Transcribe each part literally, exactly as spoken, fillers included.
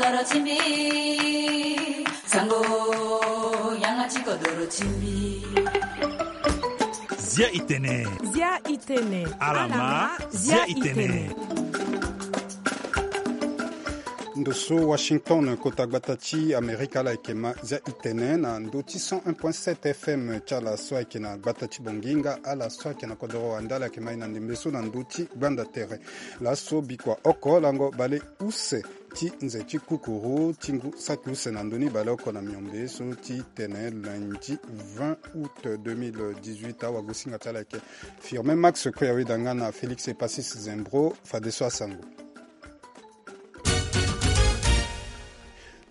Kodoro ti mbi, sango, yanga ti kodoro ti mbi. Zia itene. Zia itene. Alama, zia itene. Ndo so Washington, kota gbata ti Amerika, ala yeke ma zia itene na ndo ti cent un point sept F M ti ala so ayeke na gbata ti Bongi nga ala so ayeke na kodoro wande, ala yeke ma e na ndembe so na ndo ti gbanda tere. Laso bikua oko lango bale use ti nze ti kukuru ti ngu saki use na ndö ni baleoko na miombe so ti tene lundi vingt août deux mille dix-huit. Awagosinga ti ala ayeke Firmin Max Kue, aweda nga na Félix Epasis Zembro. Fadeso asango.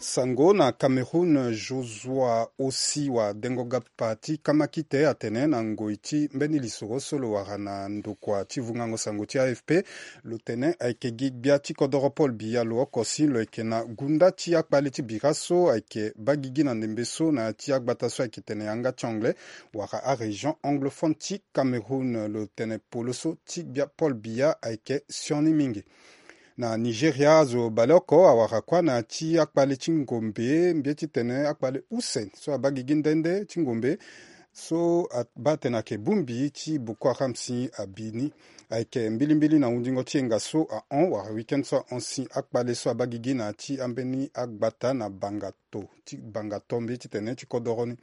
Sango na Cameroun, Joshua Ossi wa dengo gapa ti kamakite atene na ngoi ti mbeni lisoro so lo wara na ndokua ti vungango sango ti A F P, lo tene ayeke gi gbia ti kodoro Paul Biya lo oko si lo yeke na gunda ti akpale ti bira so ayeke baa gigi na ndembe so na ya ti agbata so ayeke tene yanga ti anglais wala arégion anglophone ti Cameroun. Lo tene polo so ti gbia Paul Biya ayeke sioni mingi. Na Nigeria azo baleoko awara kuâ na ya ti akpale ti ngombe, mbi ye titene akpale use so abaa gigi nde nde ti ngombe so abaa atene ayeke bongbi ti Boko Haram si abi ni. Ayeke mbilimbili na hundingo ti yenga so ahon wala week-end so ahon si akpale so abaa gigi na ya ti ambeni agbata na banga to ti banga to mbi titene ti kodoro ni.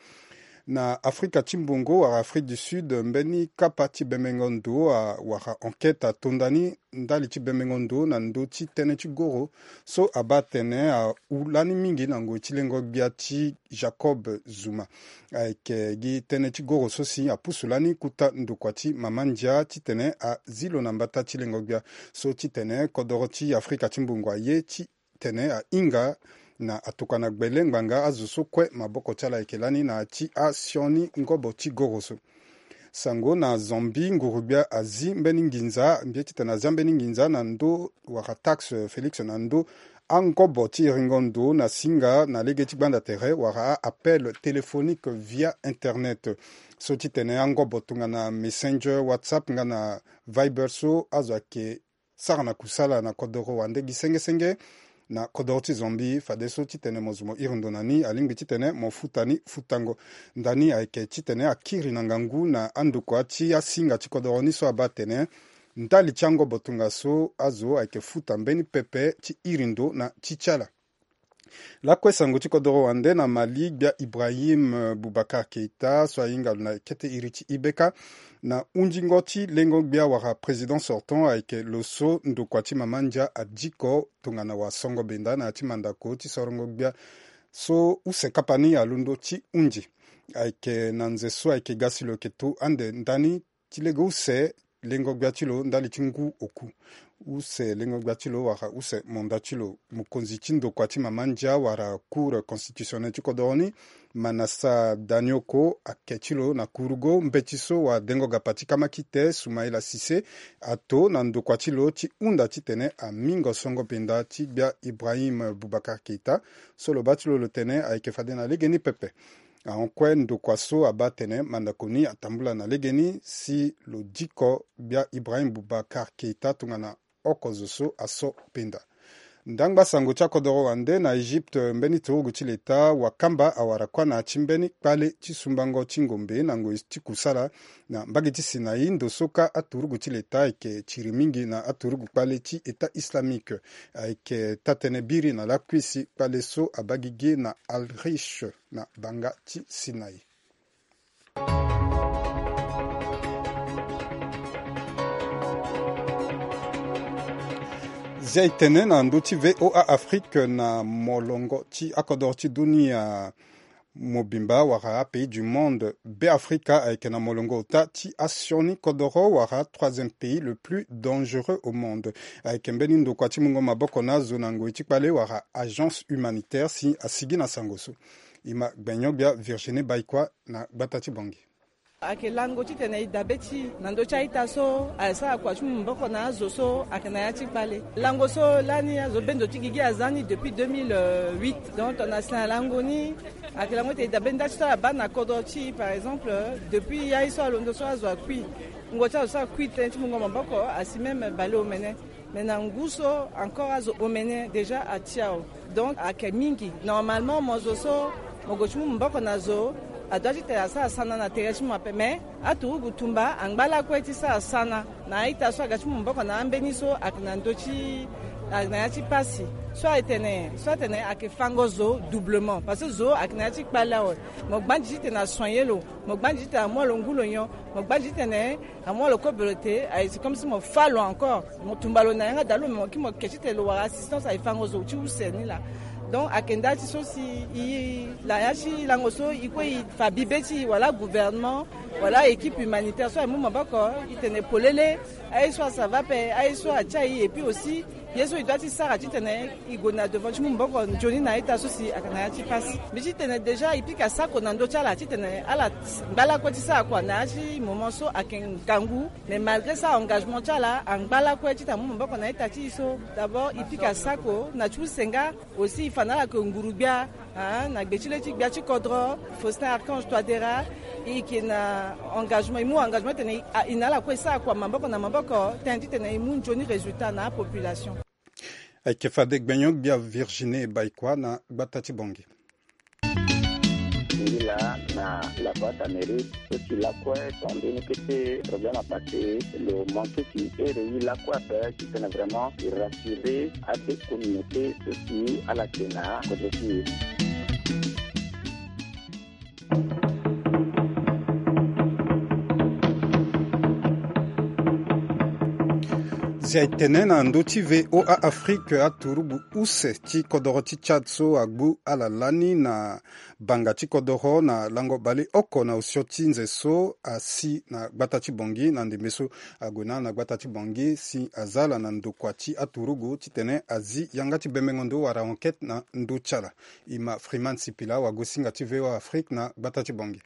Na Afrika ti mbongo wala Afrique du Sud, mbeni kapa ti bembengo ndo a- wala enquête atonda ni ndali ti bembengo ndo na ndö ti tënë ti goro so abaa atene ahu lani mingi na ngoi ti lengo gbia ti Jacob Zuma. Ayeke gi tënë ti goro so si apusu lani kota ndokua ti mama ndia titene azi lo na mbata ti lengo gbia so titene kodoro ti Afrika ti mbongo aye ti tene ahinga na atokua na gbele ngbanga azo so kue maboko ti ala ayeke lani na ya ti asioni ngobo ti goro so. Sango na Zambie, nguru-gbia azi mbeni nginza, mbi ye titene azia mbeni nginza na ndö wala taxe Félix na ndö angobo ti iringo ndo na singa na lege ti gbanda tere wala a-appel téléphonique via internet. So titene angobo tongana Messenger, WhatsApp nga na Viber so azo ayeke sara na kusala na kodoro wande gi senge senge na kodoro ti Zambie. Fadeso titene mo zo mo iri ndo na ni, alingbi titene mo futa ni futango. Ndani ayeke titene akiri na ngangu na andokua ti asinga ti kodoro ni so abaa atene ndali ti angobo tongaso azo ayeke futa mbeni pepe ti iri ndo na ti ti ala. Lakue sango ti kodoro wande na Mali, gbia Ibrahim, eh, Boubacar Keita so ahinga lo na kete iri ti I B K na hundingo ti lengo gbia wala président sortant ayeke lo so ndokua ti mama ndia adiko tongana wasongo benda na ya ti mandako ti sorongo gbia so use kapa ni alondo ti hundi. Ayeke na nze so ayeke ga si lo yeke to ande ndani ti lege use lengo gbia ti lo ndali ti ngu oku. Use lengo gbia ti lo wala use monda ti lo, mokonzi ti ndokua ti mama ndia wala Cour constitutionnelle ti kodoro ni, Manassa Danioko, ake ti lo na kurugo mbeti so wadengo gapa ti kamakite Soumaïla Cissé ato na ndokua ti lo ti hunda titene amingo songo benda ti gbia Ibrahim Boubacar Keita so lo baa ti lo lo tene ayeke fade na legeni pepe. Ahon kue ndokua so abaa atene mandako ni atambula na legeni si lo diko gbia Ibrahim Boubacar Keita tongana oko zo so aso penda. Ndangba sango ti akodoro wande na Egypte, mbeni turugu ti leta wakamba awara kuâ na ya ti mbeni kpale ti sumbango ti ngombe na ngoi ti kusala na mbage ti Sinaï, ndo so kâ aturugu ti leta ayeke tiri mingi na aturugu kpale ti État islamique. Ayeke taa-tënë biri na lakui si kpale so abaa gigi na Al Rish na banga ti Sinaï. Zia e tene na ndö ti V O A Afrique na molongo ti akodoro ti dunia mobimba wala apays du monde. Beafrika ayeke na molongo ota ti asioni kodoro wala troisième pays le plus dangereux au monde. Ayeke mbeni ndokua ti mungo maboko na azo na ngoi ti kpale wala agence humanitaire si asigi na sango so. E ma gbenyo-gbia Virginie Baïkoi na gbata ti Bangui. Ayeke lango titene e dabe ti e na ndö ti a-ita so asara kua ti mu maboko na azo so ayeke na ya ti kpale. Lango so lani azo bendo ti gigi aza ni depuis deux mille huit. Donc tongana si na lango ni ayeke lango ti e dabe nda ti so ala baa na kodro ti e, par exemple, depuis ya ye so alondo so azo akui. Wungo ti azo so akui tënë ti mungo maboko asi même baleomene. Na ngu so encore azo omene déjà ati awe. Donc ayeke mingi. Normalement mo zo so mo gue ti mu maboko na zo, adoit titene asara sana na tere ti mo ape, mais aturugu tumba angba lakue ti sara sana na a-ita so aga ti mu maboko na ambeni so ayeke na ndö ti, ayeke na ya ti pasi. So aye tene so atene ayeke fango zo doublement parce que zo ayeke na ya ti kpale awe. Mo gbandi titene asoigner lo, mo gbandi titene amu lo ngu lo nyon, mo gbandi titene amu lo kobe lo te, aye c'est comme si mo fâ lo encore, mo tumba lo na yanga dalo, mo ki mo ke titene lo wara assistance aye fango zo ti use ni laa. Donc ayeke nda ti so si i na ya ti lango so i kue i fa bibe ti i wala gouvernement wala équipe humanitaire so aye mu maboko, i tene polele aye so asava ape, aye so atia i, et puis aussi ye so i doit ti sara titene i gue na devant ti mu maboko nzoni na a-ita so si ayeke na ya ti pasi. Mbi ti tene déjà i pika sako na ndö ti ala titene ala ngba lakue ti sara kua na ya ti moment so ayeke ngangu. Mais malgré ça engagement ti ala angba lakue titene amu maboko na a-ita ti i so. D'abord i pika sako na ti use nga, aussi i fa na ala yeke nguru-gbia, ah, na gbe ti le ti gbia ti kodro Faustin Archange Touadéra. I yeke na engagement, i mu engagement titene i na ala kue i sara kua maboko na maboko tënë titene i mu nzoni résultat na apopulation. Ayeke fade gbenyo-gbia Virginie Baïkua na gbata ti Bangui. Ngi laa na la boîte Amérique so si lakue so ambeni kete problème apase lo manke ti ere ye lakue ape titene vraiment e rassurer ade communauté so si ala yeke na kodro ti e. Zia etene na ndö ti VOA Afrique aturugu use ti kodoro ti Tchad so agbu ala lani na banga ti kodoro na lango baleoko na osio ti nze so asi na gbata ti Bangui na ndembe so ague na ala na gbata ti Bangui si aza ala na ndokua ti aturugu titene azi yanga ti bembengo ndo wala enquête na ndö ti ala. E ma Freeman Sipila wagosinga ti VOA Afrique na gbata ti Bangui.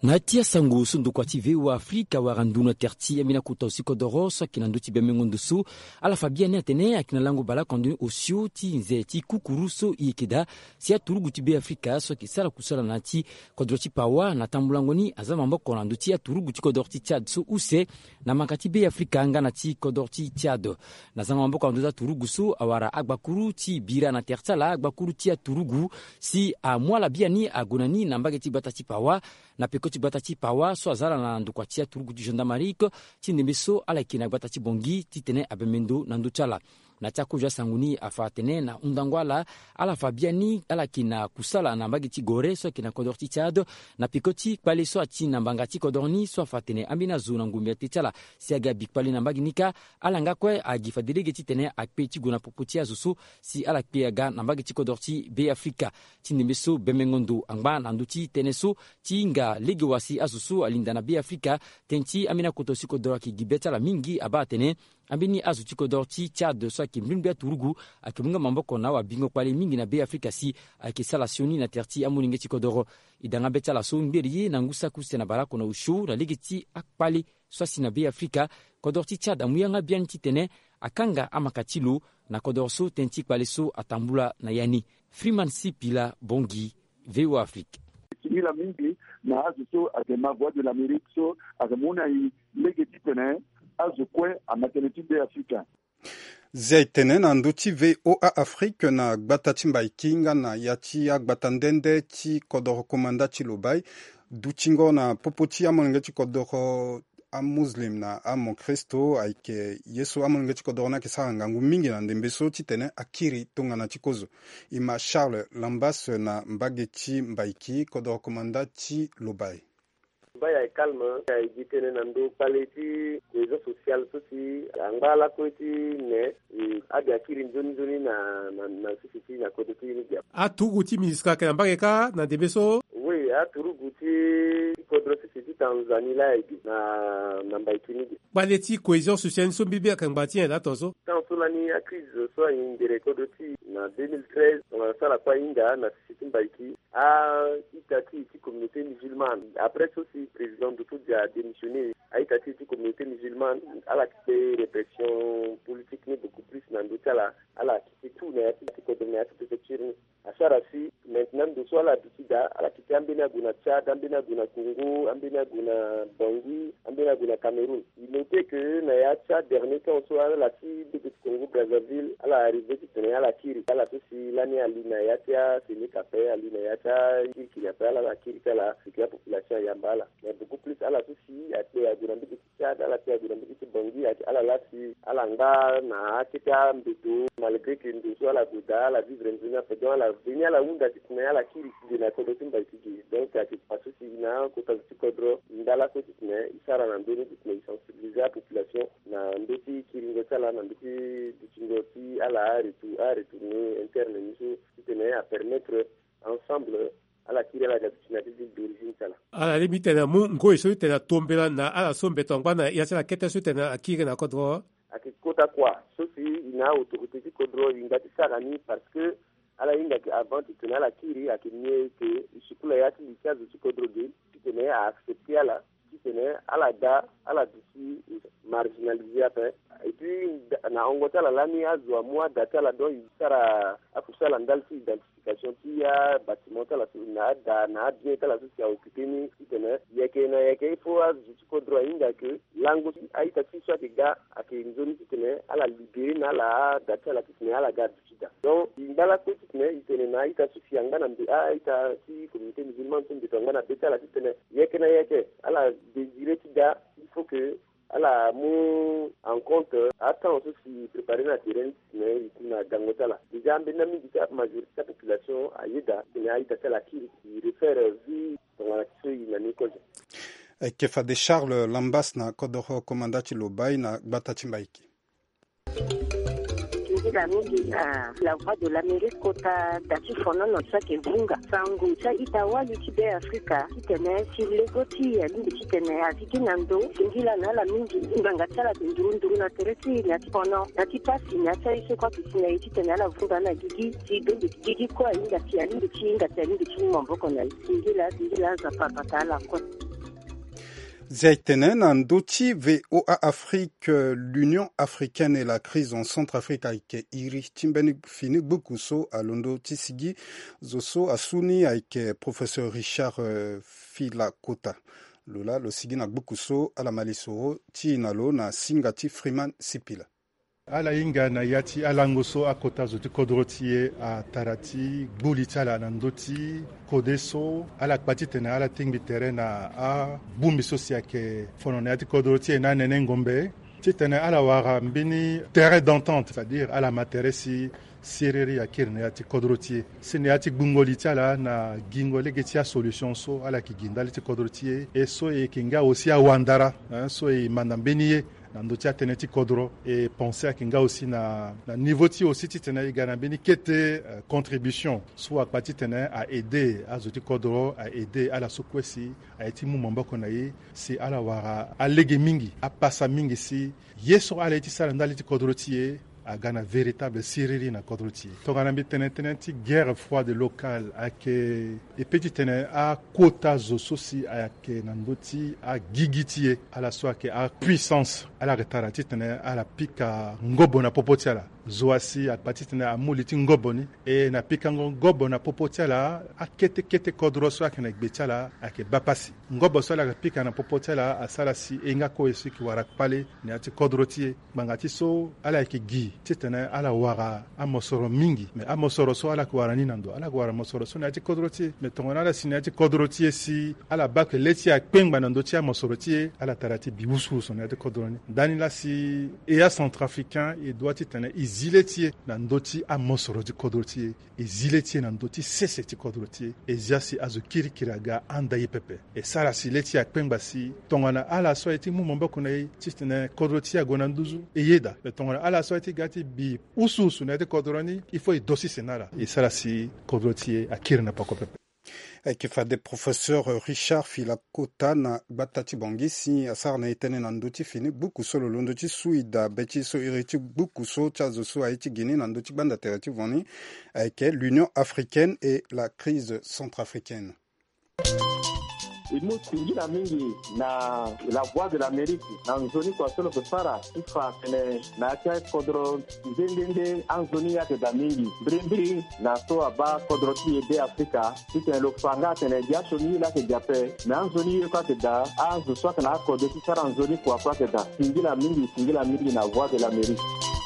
Na ya ti asango so ndokua ti VOA Afrique awara nduru na tere ti ambeni akota osi kodoro so ayeke na ndö ti bembengo ndo so ala fa biani atene ayeke na lango baleoko ando ni osio ti nze ti kukuru so e yeke daa si aturugu ti Be Afrika so ayeke sara kusala na ya ti kodoro ti Pawa na tambulango ni aza maboko na ndö ti aturugu ti kodoro ti Tchad so use na manga ti Be Afrika nga na ti kodoro ti Tchad. Na za maboko na ndö ti aturugu so awara agbakuru ti bira na tere ti ala agbakuru ti aturugu si amu ala biani ague na ni na mbage ti gbata ti Pawa na peko ti gbata ti Pawa so aza ala na ndokua ti aturugu ti gendarmerie ti ndembe so ala yeke na gbata ti Bangui titene abembe ndo na ndö ti ala. Na ya ti akozo asango ni afa atene na hundango ala, ala fa biani ala yeke na kusala na mbage ti Gorée so ayeke na kodoro ti Tchad na peko ti kpale so ati na mbanga ti kodoro ni so afa atene ambeni azo na ngombe ate ti ala si aga bi kpale na mbage ni kâ, ala nga kue agi fade lege titene akpe ti gue na popo ti azo so si ala kpe aga na mbage ti kodoro ti Be Afrika. Ti ndembe so bembengo ndo angba na ndö ti tënë so ti hinga lege wa si azo so alinda na Be Afrika. Tënë ti ambeni akota osi kodoro ayeke gi be ti ala mingi abaa atene ambeni azo ti kodoro ti Tchad so ayeke mbrimbri aturugu ayeke mu nga maboko na awabingo kpale mingi na Be Afrika si ayeke sala sioni na tere ti amolenge ti kodoro. E da nga be ti ala so ngberi ye na ngu saki use na baleoko na osio na lege ti akpale so asi na Be Afrika. Kodoro ti Tchad amu yanga biani titene akanga amaka ti lo na kodoro so tënë ti kpale so atambula na ya ni. Freeman Sipila Bangui, VOA Afrique. Singila mingi na azo so ayeke ma Voix de l'Amérique so ayeke mu na e lege titene azo kue ama tënë ti Be Afrika. Zia etene na ndö ti VOA Afrique na gbata ti Mbaiki nga na ya ti agbata nde nde ti kodoro komanda ti Lobaye. Dutingo na popo ti amolenge ti kodoro amuslim na amokristo ayeke ye so amolenge ti kodoro ni ayeke sara ngangu mingi na ndembe so titene akiri tongana ti kozo. E ma Charles Lambas na mbage ti Mbaiki, kodoro komanda ti Lobaye. Mbai aye calme, aye gi tënë na ndö kpale ti cohésion sociale so si angba lakue ti ne, e, abi akiri nzoni nzoni na, na, na sese ti na kodro ti e ni gi ape. Aturugu ti MINUSCA ayeke na mbage kâ na ndembe so? Oui, aturugu ti kodro sese ti Tanzanie laa aye gi na, na Mbaiki ni gi. Kpale ti cohésion sociale ni so mbi be ayeke ngba ti nyen laa tongaso? Tan so lani acrise so ahindere kodro ti e na deux mille treize, tongana so ala kue ahinga na sese ti Mbaiki. A-ita ti e ti communauté musulmane, après so si président Doto Dia adémissionné, a-ita ti e ti communauté musulmane, ala kpe répression politique ni beaucoup plus na ndö ti ala, ala kite tout na ya ti, ti kodro na ya ti préfecture ni. Asara si maintenant ndo so ala duti daa, ala kiti ambeni ague na Tchad, ambeni ague na Congo, ambeni ague na Bangui, ambeni ague na Cameroun. Il notait que na ya ti adernier temps so ala ti bebe ti Congo Brazzaville, ala arrivé titene ala kiri ala so si lani ali na ya ti asenik ape, ali na ya ti akirikiri ape, ala ala kiri ti ala, seke apopulation ayamba ala. Mais beaucoup plus ala so si akpe ague na mbege ti Tchad, ala kpe ague na mbege ti Bangui, ala laa si ala nga na akete ambeto, malgré que ndo so ala gue daa, ala vivre nzoni ape. Donc ala veni ala hunda titene ala kiri ti ge na kodro ti mbai ti ge. Donc ayeke kua so si na akota zo ti kodro ndala so titene e sara na ndö ni titene e sensibiliser apopulation na ndö ti kiringo ti ala, na ndö ti dutingo ti ala aretour, aretourner interne ni so titene apermettre ensemble ala kiri ala ga duti na ti ville d'origine ti ala. Ala lingbi titene amu ngoi so titene atombela na ala so mbeto angba na ya ti ala kete so titene akiri na kodro. Ayeke kota kua so si e na autorité ti kodro e hinga ti sara ni, parce que ala hinga ke avant titene ala kiri ayeke mieux ke e sukula ya ti li ti azo ti kodro ge titene a accepter ala titene ala ga ala duti marginalisé ape. Et puis na hongo ti ala lani azo amu ada ti ala, donc e sara akusala ndali ti identification ti abâtiment ti ala so na ada na abien ti ala so si a occupé ni titene yeke na yeke il faut azo ti kodro ahinga ke lango ti a-ita ti so ayeke ga ayeke nzoni titene ala libéré na ala ada ti ala titene ala ga aduti daa. Donc e ngba lakue titene e tene na a-ita so si angba na mbe a-ita ti communauté musulmane so mbeto angba na be ti ala titene yeke na yeke ala désiré ti ga, il faut que ala mu en compte atemps so si préparé na terrain ni titene e ku na gango ti ala. Déjà ambeni na mingi ti amajorité ti apopulation ayeda titene a-ita ti ala akiri, e refaire vie tongana ti so e na ni kozo. Ayeke fade Charles Lambas na kodoro komanda ti Lobaye na gbata ti Mbaiki. Nzila mingi na La Voix de l'Amérique kota da ti fonono so ayeke vunga sango ti a-ita wali ti Be Afrika titene si lego ti e alingbi titene avigi na ndo. Singila na ala mingi ngbanga ti ala ayeke nduru nduru na tere ti e na ya ti fono na ti pasi na ya ti aye so kue ayeke si na e titene ala vunga na gigi si bembe gigi kue ahinga si alingbi ti hinga si alingbi ti mu maboko na e. Singila singila Nzapa abata ala kue. Zia e tene na ndö ti V O A Afrique, euh, l'Union africaine et la crise en Centrafrique ayeke iri ti mbeni fini gbuku so alondo ti sigi zo so asu ni ayeke professeur Richard, euh, Filakota. Lo laa lo sigi na gbuku so ala ma lisoro ti e na lo na singa ti Freeman Sipila. Ala hinga na ya ti alango so akota zo ti kodro ti e atara ti gbu li ti ala na ndö ti kode so ala kpa titene ala tingbi tere na abongbi so si ayeke fono na ya ti kodro ti e na anene ngombe titene ala wara mbeni terrain d'entente, c'est-à-dire ala ma tere si siriri akiri na ya ti kodro ti e si na ya ti gbungo li ti ala na gingo lege ti asolution so ala yeke gi ndali ti kodro ti e. E so e yeke nga aussi awandara, hein, so e manda mbeni ye na ndö ti atënë ti kodro. E pensé ayeke nga aussi na, na niveau ti e aussi titene e ga na mbeni kete, euh, contribution so akpa titene a aidé azo ti kodro, a aidé ala so kue si aye ti mu maboko na e si ala wara alege mingi, apasa mingi si ye so ala ye ti sara ndali ti kodro ti e aga na véritable siriri na kodro ti e. Tongana mbi tene tënë ti guerre froide locale ayeke e pe titene akota zo so si ayeke na ndö ti agigi ti e, ala so ayeke apuissance, ala yeke tara titene ala pika ngobo na popo ti ala. Zo asi akpa titene amu li ti ngobo ni. E na pikango ngobo na popo ti ala, akete kete kodro so ayeke na gbe ti ala ayeke baa pasi. Ngobo so ala yeke pika na popo ti ala asara si e nga kue e si yeke wara kpale na ya ti kodro ti e. Ngbanga ti so ala yeke gi titene ala wara amosoro mingi, me amosoro so ala yeke wara ni na ndo, ala yeke wara mosoro so na ya ti kodro ti e. Me tongana ala si na ya ti kodro ti e si ala baa ke le ti e akpengba na ndö ti amosoro ti e, ala tara ti bi wusuwusu na ya ti kodro ni. Ndani laa si e acentrafricain e doit titene e zi le ti e na ndö ti amosoro ti kodro ti e. E zi le ti e na ndö ti sese ti kodro ti e. E zia si azo kirikiri aga anda ye pepe. E sara si le ti e akpengba si tongana ala so aye ti mu maboko na e titene kodro ti e ague na nduzu, e yeda. Me tongana ala so aye ti ga ti bi wusuwusu na ya ti kodro ni, il faut e do sese na ala. E sara si kodro ti e akiri na pako pepe. Ayeke fade professeur Richard Filakota na gbata ti Bangui si asara na e tënë na ndö ti fini gbuku so lo londo ti su ida be ti so iri ti gbuku so ti azo so aye ti gi ni na ndö ti gbanda tere ti voni ayeke l'Union africaine et la crise centrafricaine. E mu singila mingi na la Voix de l'Amérique na nzoni kua so lo ke fara ti fa atene na ya ti akodro nde nde nde anzoni ayeke daa mingi. Mbirimbiri na so abaa kodro ti e be Afrika titene lo fa nga atene gi asioni ye laa ayeke gi ape. Me anzoni ye kue ayeke daa, azo so ayeke na akode ti sara nzoni kua kue ayeke daa. Singila mingi, singila mingi na Voix de l'Amérique.